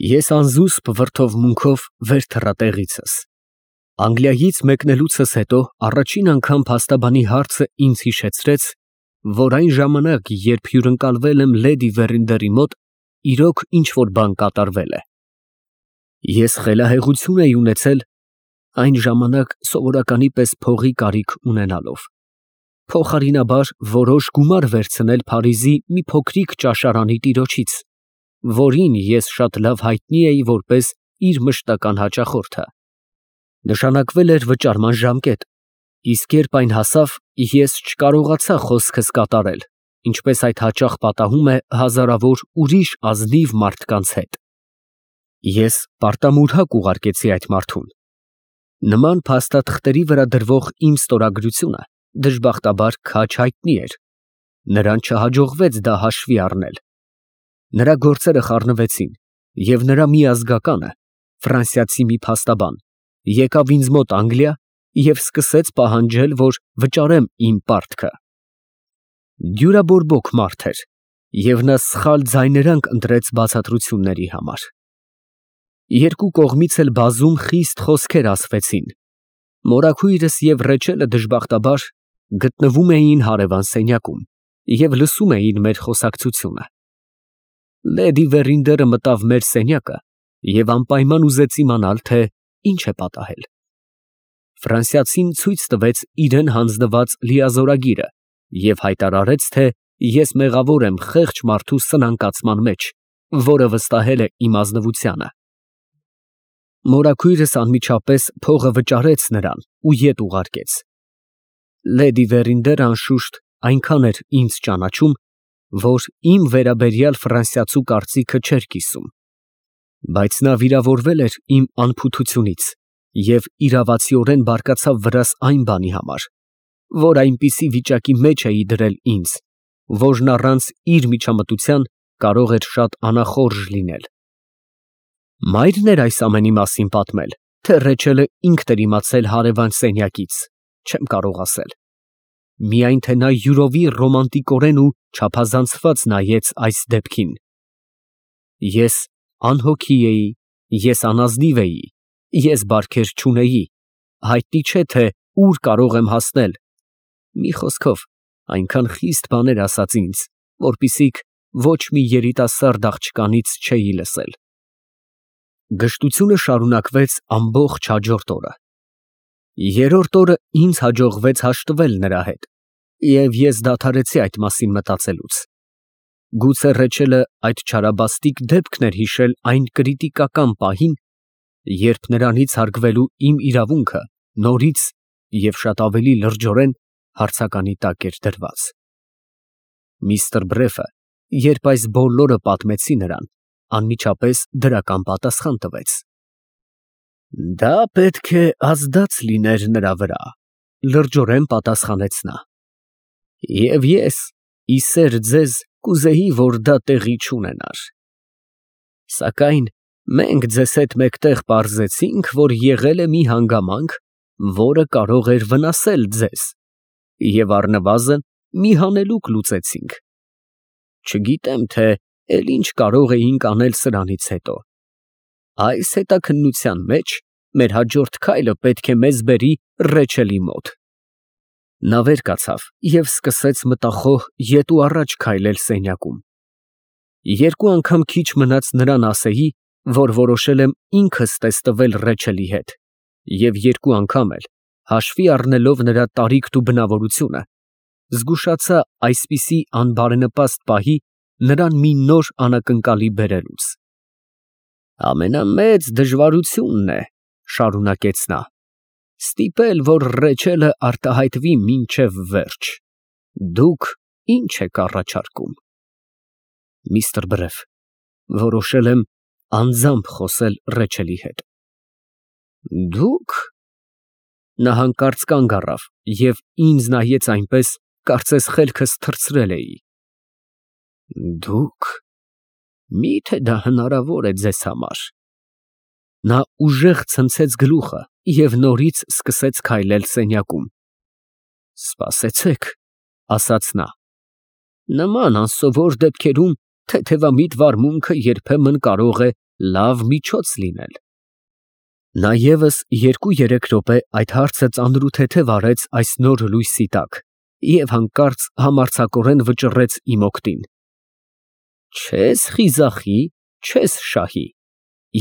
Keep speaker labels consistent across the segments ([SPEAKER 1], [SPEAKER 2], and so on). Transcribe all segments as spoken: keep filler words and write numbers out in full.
[SPEAKER 1] Ես անզուսպ վրդովմունքով վեր թռա տեղիցս։ Անգլիայից մեկնելուցս հետո առաջին անգամ փաստաբանի հարցը ինձ հիշեցրեց, որ այն ժամանակ, երբ հյուրընկալվել եմ լեդի Վերինդերի մոտ, իրոք ինչ֊որ բան կատարվել է։ Ես խելահեղություն էի ունեցել այն ժամանակ սովորականի պես փողի կարիք ունենալով, փոխարինաբար որոշ գումար վերցնել Փարիզի մի փոքրիկ ճաշարանի տիրոջից, որին ես շատ լավ հայտնի էի որպես իր մշտական հաճախորդը։ Նշանակվել էր վճարման ժամկետ, իսկ երբ այն հասավ, ես չկարողացա խոսքս կատարել, ինչպես այդ հաճախ պատահում է հազարավոր ուրիշ ազնիվ մարդկանց հետ։ Ես պարտամուրհակ ուղարկեցի այդ մարդուն։ Նման փաստաթղթերի վրա դրվող իմ ստորագրությունը դժբախտաբար քաջ հայտնի էր, նրան չհաջողվեց դա հաշվի առնել։ Նրա գործերը խառնվեցին, և նրա մի ազգականը, ֆրանսիացի մի փաստաբան, եկավ ինձ մոտ Անգլիա և սկսեց պահանջել, որ վճարեմ իմ պարտքը։ Դյուրաբորբոք մարդ էր, և նա սխալ ձայներանգ ընտրեց բացատրությունների համար։ Երկու կողմից էլ բազում խիստ խոսքեր ասվեցին։ Մորաքույրս և Ռեչելը դժբախտաբար գտնվում էին հարևան սենյակում և լսում էին մեր խոսակցությունը։ Լեդի Վերինդերը մտավ մեր սենյակը և անպայման ուզեց իմանալ, թե ինչ է պատահել։ Ֆրանսիացին ցույց տվեց իրան հանձնված լիազորագիրը և հայտարարեց, թե ես մեղավոր եմ խեղճ մարդու սնանկացման մեջ, որը վստահել է իմ ազնվությանը։ Մորաքույրս անմիջապես փողը վճարեց նրան ու ետ ուղարկեց։ Լեդի Վերինդերը անշուշտ այնքան էր ինձ ճանաչում, որ իմ վերաբերյալ ֆրանսիացու կարծիքը չէր կիսում, բայց նա վիրավորվել էր իմ անփութությունից և իրավացիորեն բարկացավ վրաս այն բանի համար, որ այնպիսի վիճակի մեջ էի դրել ինձ, որն առանց իր միջամտության կարող էր շատ անախորժ լինել։ Մայրն էր այս ամենի մասին պատմել, թե Ռեչելը ինքն էր իմացել հարևան սենյակից, չեմ կարող ասել։ Միայն թե նա յուրովի ռոմանտիկորեն ու չափազանցված նայեց այս դեպքին։ Ես անհոգի էի, ես անազնիվ էի, ես բարքեր չունեի, հայտնի չէ, թե ուր կարող եմ հասնել, մի խոսքով, այնքան խիստ բաներ ասաց ինձ, որպիսիք ոչ մի երիտասարդ աղջկանից չէի լսել։ Գժտությունը շարունակվեց ամբողջ հաջորդ օրը։ Երրորդ օրը ինձ հաջողվեց հաշտվել նրա հետ, և ես դադարեցի այդ մասին մտածելուց։ Գուցե Ռեչելը այդ չարաբաստիկ դեպքն էր հիշել այն կրիտիկական պահին, երբ նրանից հարգվելու իմ իրավունքը նորից և շատ ավելի լրջորեն հարցականի տակ էր դրված։ Միստր Բրեֆը, երբ այս բոլորը պատմեցի նրան, անմիջապես դրական պատասխան տվեց։ «Դա պետք է ազդած լիներ նրա վրա», լրջորեն պատասխանեց նա։ «Եվ ես, ի սեր ձեզ, կուզեի, որ դա տեղի չունենար։ Սակայն մենք ձեզ հետ մեկտեղ պարզեցինք, որ եղել է մի հանգամանք, որը կարող էր վնասել ձեզ, և առնվազն մի հանելուկ լուծեցինք։ Չգիտեմ, թե էլ ինչ կարող էինք անել սրանից հետո։ Այս հետաքննության մեջ մեր հաջորդ քայլը պետք է մեզ բերի Ռեչելի մոտ»։ Նա վեր կացավ և սկսեց մտախոհ ետ ու առաջ քայլել սենյակում։ Երկու անգամ քիչ մնաց նրան ասեի, որ որոշել եմ ինքս տեստվել Ռեչելի հետ, և երկու անգամ էլ, հաշվի առնելով նրա տարիքն ու բնավորությունը, զգուշացա այսպիսի անբարենպաստ պահի նրան մի նոր անակնկալի բերելուց։ «Ամենամեծ դժվարությունն է, ֊ շարունակեց նա, ֊ ստիպել, որ Ռեչելը արտահայտվի մինչև վերջ։ Դուք ի՞նչ եք առաջարկում»։ Միստր Բրեֆ, որոշել եմ անձամբ խոսել Ռեչելի հետ։ «Դուք»։ Նա հանկարծ կանգ առավ և ինձ նայեց այնպես, կարծես խելքս թռցրել էի։ «Դուք, մի՞թե դա հնարավոր է ձեզ համար»։ Նա ուժեղ ցնցեց գլուխը և նորից սկսեց քայլել սենյակում։ «Սպասեցեք, ֊ ասաց նա, ֊ նման անսովոր դեպքերում թեթևամիտ վարմունքը երբեմն կարող է լավ միջոց լինել։ Նա ևս երկու֊երեք րոպե այդ հարցը ծանրութեթև արեց այս նոր լույսի տակ և հանկարծ համարձակորեն վճռեց իմ օգտին. «Չես խիզախի, չես շահի»,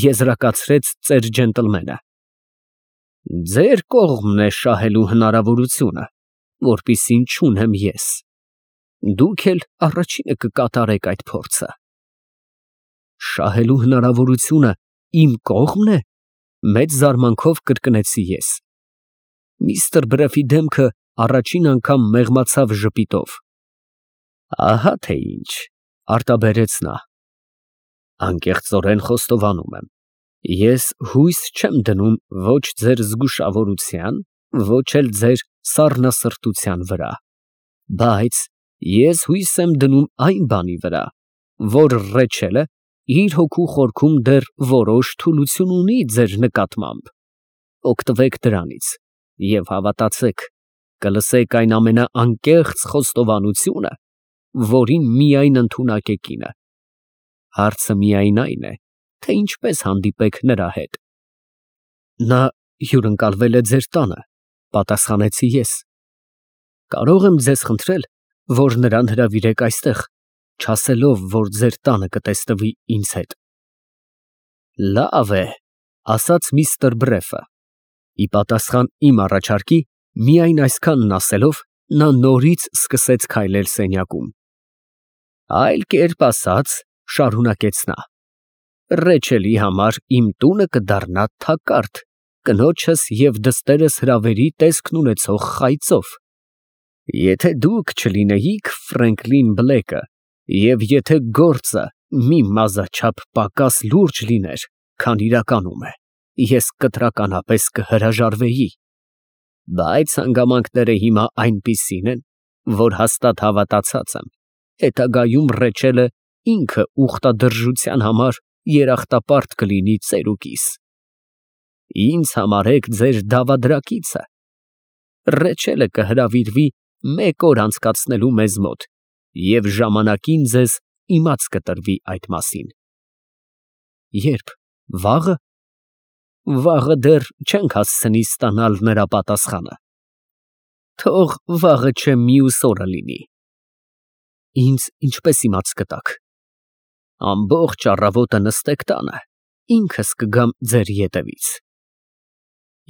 [SPEAKER 1] եզրակացրեց ծեր ջենտլմենը, «ձեր կողմն է շահելու հնարավորությունը, որպիսին չունեմ ես, դուք էլ առաջինը կկատարեք այդ փորձը»։ «Շահելու հնարավորությունը իմ կողմն է», մեծ զարմանքով կրկնեցի ես։ Միստր Բրեֆի դեմքը առաջին անգամ մեղմացավ ժպիտով։ Ահա թե ինչ, արտաբերեց նա, անկեղծորեն խոստովանում եմ, ես հույս չեմ դնում ոչ ձեր զգուշավորության, ոչ էլ ձեր սառնասրտության վրա, բայց ես հույս եմ դնում այն բանի վրա, որ Ռեչելը իր հոգու խորքում դեռ որոշ թուլություն ունի ձեր նկատմամբ, օգտվեք դրանից և հավատացեք, կլսեք այն ամենաանկեղծ խոստովանությունը, որին միայն ընդունակ է կինը, հարցը միայն այն է, թե ինչպես հանդիպեք նրա հետ։ Նա հյուրընկալվել է ձեր տանը, պատասխանեցի ես, կարող եմ ձեզ խնդրել, որ նրան հրավիրեք այստեղ, չասելով, որ ձեր տանը կտեսնվի ինձ հետ։ Լավ է, ասաց միստր Բրեֆը, ի պատասխան իմ առաջարկի, միայն այսքանն ասելով, նա նորից սկսեց քայլել սենյակում։ Այլ կերպ ասած, շարունակեց նա, Ռեչելի համար իմ տունը կդառնա թակարդ, կնոջս և դստերս հրավերի տեսքն ունեցող խայծով։ Եթե դուք չլինեիք Ֆրենկլին Բլեքը, և եթե գործը մի մազաչափ պակաս լուրջ լիներ, քան իրականում է, ես կտրականապես կհրաժարվեի, բայց հանգամանքները հիմա այնպիսին են, որ հաստատ հավատացած եմ, հետագայում Ռեչելը ինքը ուխտադրժության համար երախտապարտ կլինի ծերուկիս։ Ինձ համարեք ձեր դավադրակիցը։ Ռեչելը կհրավիրվի մեկ օր անցկացնելու մեզ մոտ և ժամանակին ձեզ իմաց կտրվի այդ մասին։ Երբ, վաղը։ Վաղը դեռ չենք հասցնի ստանալ նրա պատասխանը։ Թող վաղը չէ մյուս օրը լինի։ Ինձ ինչպես իմաց կտաք։ Ամբողջ առավոտը նստեք տանը, ինքս կգամ ձեր ետևից։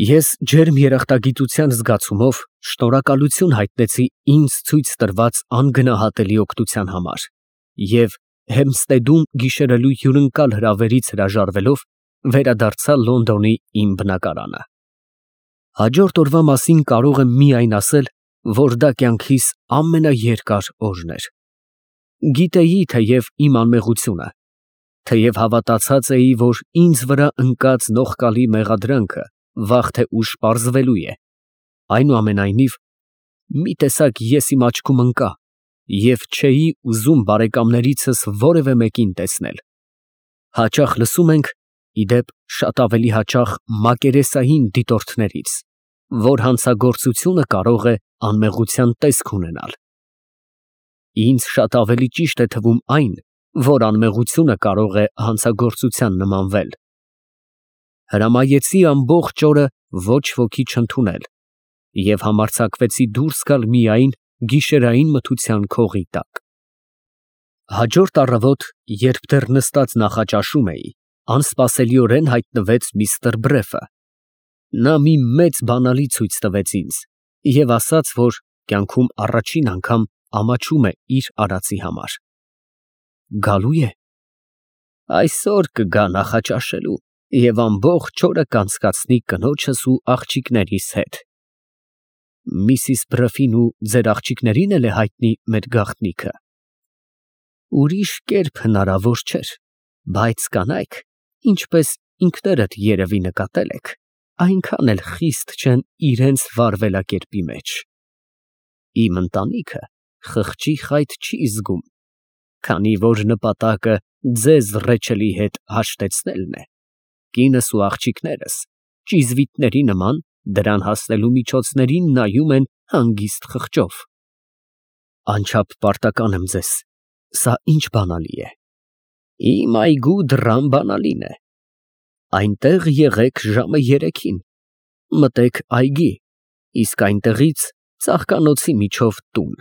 [SPEAKER 1] Ես ջերմ երախտագիտության զգացումով շնորհակալություն հայտնեցի ինձ ցույց տրված անգնահատելի օգնության համար և Հեմփստեդում գիշերելու հյուրընկալ հրավերից հրաժարվելով վերադարձա Լոնդոնի իմ բնակարանը։ Հաջորդ օրվա մասին կարող եմ միայն ասել, որ դա կյանքիս ամենաերկար օրն էր։ Գիտեի թեև իմ անմեղությունը, թեև հավատացած էի, որ ինձ վրա ընկած նողկալի մեղադրանքը վաղ թե ուշ պարզվելու է, այնուամենայնիվ, մի տեսակ ես իմ աչքում ընկա և չէի ուզում բարեկամներիցս որևէ մեկին տեսնել։ Հաճախ լսում ենք, ի դեպ, շատ ավելի հաճախ մակերեսային դիտորդներից, որ հանցագործությունը կարող է անմեղության տեսք ունենալ։ Ինձ շատ ավելի ճիշտ է թվում այն, որ անմեղությունը կարող է հանցագործության նմանվել։ Հրամայեցի ամբողջ օրը ոչ ոքի չընդունել և համարձակվեցի դուրս գալ միայն գիշերային մթության քողի տակ։ Հաջորդ առավոտ, երբ դեռ նստած նախաճաշում էի, անսպասելիորեն հայտնվեց միստր Բրեֆը։ Նա մի մեծ բանալի ցույց տվեց ինձ և ասաց, որ կյանքում առաջին անգամ ամաչում է իր արածի համար։ Գալու է։ Այսօր կգա նախաճաշելու և ամբողջ օրը կանցկացնի կնոջս ու աղջիկներիս հետ։ Միսիս Բրեֆին ու ձեր աղջիկների՞ն էլ է հայտնի մեր գաղտնիքը։ Ուրիշ կերպ հնարավոր չէր, բայց կանայք, ինչպես ինքներդ երևի նկատել եք, այնքան էլ խիստ չեն իրենց վարվելակերպի մեջ։ Իմ ընտանիքը խղճի խայտ չի զգում, քանի որ նպատակը ձեզ Ռեչելի հետ հաշտեցնելն է, կինս ու աղջիկներս ճիզվիտների նման դրան հասնելու միջոցներին նայում են հանգիստ խղճով։ Անչափ պարտական եմ ձեզ, սա ինչ բանալի է։ Իմ այգու դռան բանալին է։ Այնտեղ եղեք ժամը երեքին, մտեք այգի, իսկ այնտեղից ծաղկանոցի միջով տուն,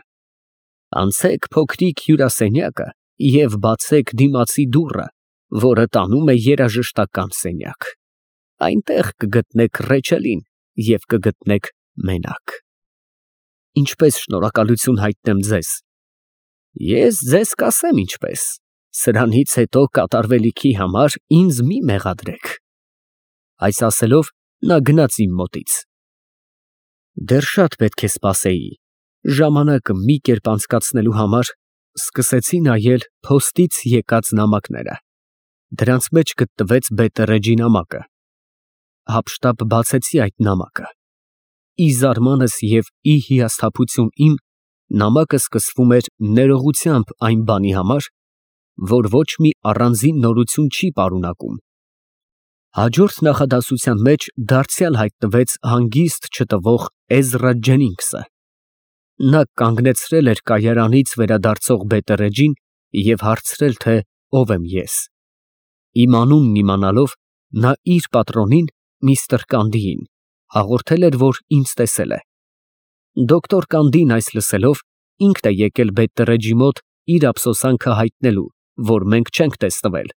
[SPEAKER 1] անցեք փոքրիկ հյուրասենյակը և բացեք դիմացի դուռը, որը տանում է երաժշտական սենյակ, այնտեղ կգտնեք Ռեչելին և կգտնեք մենակ։ Ինչպես շնորհակալություն հայտնեմ ձեզ։ Ես ձեզ կասեմ ինչպես, սրանից հետո կատարվելիքի համար ինձ մի մեղադրեք։ Այս ասելով նա գնաց իմ մոտից։ Դեռ շատ պետք է սպասեի, ժամանակը մի կերպ անցկացնելու համար սկսեցի նայել փոստից եկած նամակները, դրանց մեջ գտնվեց Բետերեջի նամակը։ Հապշտապ բացեցի այդ նամակը։ Ի զարմանս և ի հիասթափություն իմ, նամակը սկսվում էր ներողությամբ այն բանի համար, որ ոչ մի առանձին նորություն չի պարունակում։ Հաջորդ նախադասության մեջ դարձյալ հայտնվեց հանգիստ չտվող Էզրա Ջենինգսը։ Նա կանգնեցրել էր կայարանից վերադարձող Բետերեջին և հարցրել, թե ով եմ ես։ Իմ անունն իմանալով, նա իր պատրոնին՝ միստր Կանդիին, հաղորդել էր, որ ինձ տեսել է։ Դոկտոր Կանդին այս լսելով, ինքն է եկել Բետերեջի մոտ իր ափսոսանքը հայտնելու, որ մենք չենք տեսնվել։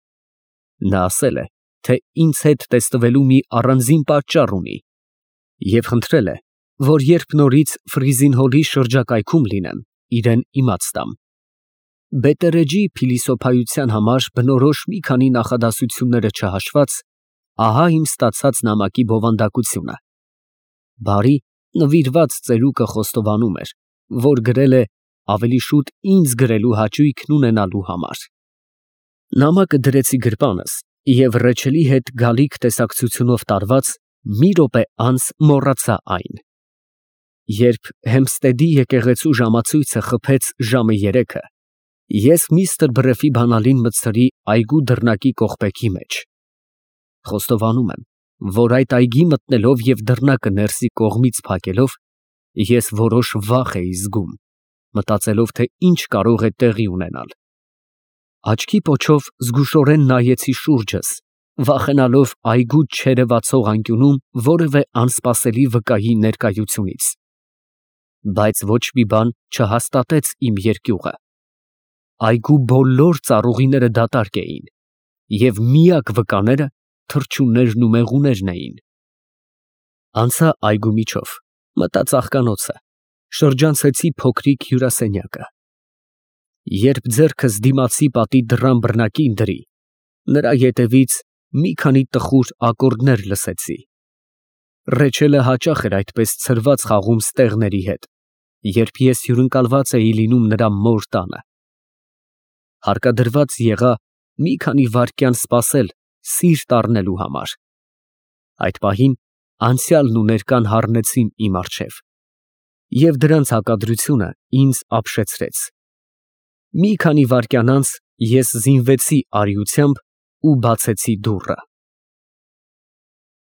[SPEAKER 1] Նա ասել է, թե ինձ հետ տեսնվելու մի առանձին պատճառ ունի և խնդրել է, որ երբ նորից Ֆրիզին Հոլի շրջակայքում լինեմ, իրան իմաց տամ։ Բետերեջի փիլիսոփայության համար բնորոշ մի քանի նախադասությունները չհաշված, ահա իմ ստացած նամակի բովանդակությունը։ Բարի, նվիրված ծերուկը խոստովանում էր, որ գրել է ավելի շուտ ինձ գրելու հաճույքն ունենալու համար։ Նամակը դրեցի գրպանս և Ռեչելի հետ գալիք տեսակցությունով տարված մի րոպե անց մոռացա այն։ Երբ Հեմփստեդի եկեղեցու ժամացույցը խփեց ժամը երեքը, ես միստր Բրեֆի բանալին մտցրի այգու դռնակի կողպեքի մեջ։ Խոստովանում եմ, որ այդ այգի մտնելով և դռնակը ներսի կողմից փակելով, ես որոշ վախ էի զգում, մտածելով, թե ինչ կարող է տեղի ունենալ։ Աչքի պոչով զգուշորեն նայեցի շուրջս, վախենալով այգուց չերևացող անկյունում որևէ անսպասելի վկայի ներկայությունից։ Բայց ոչ մի բան չհաստատեց իմ երկյուղը։ Այգու բոլոր ծառուղիները դատարկ էին, և միակ վկաները թռչուններն ու մեղուներն էին։ Անցա այգու միջով, մտա ծաղկանոցը, շրջանցեցի փոքրիկ հյուրասենյակը։ Երբ ձեռքս դիմացի պատի դռան բռնակին դրի, նրա ետևից մի քանի տխուր ակորդներ լսեցի։ Ռեչելը հաճախ էր այդպես ցրված խաղում ստեղների հետ, երբ ես հյուրընկալված էի լինում նրա մոր տանը։ Հարկադրված եղա մի քանի վայրկյան սպասել սիրտ առնելու համար։ Այդ պահին անցյալն ու ներկան հառնեցին իմ առջև, և դրանց հակադրությունը ինձ ապշեցրեց։ Մի քանի վայրկյան անց ես զինվեցի արիությամբ ու բացեցի դուռը։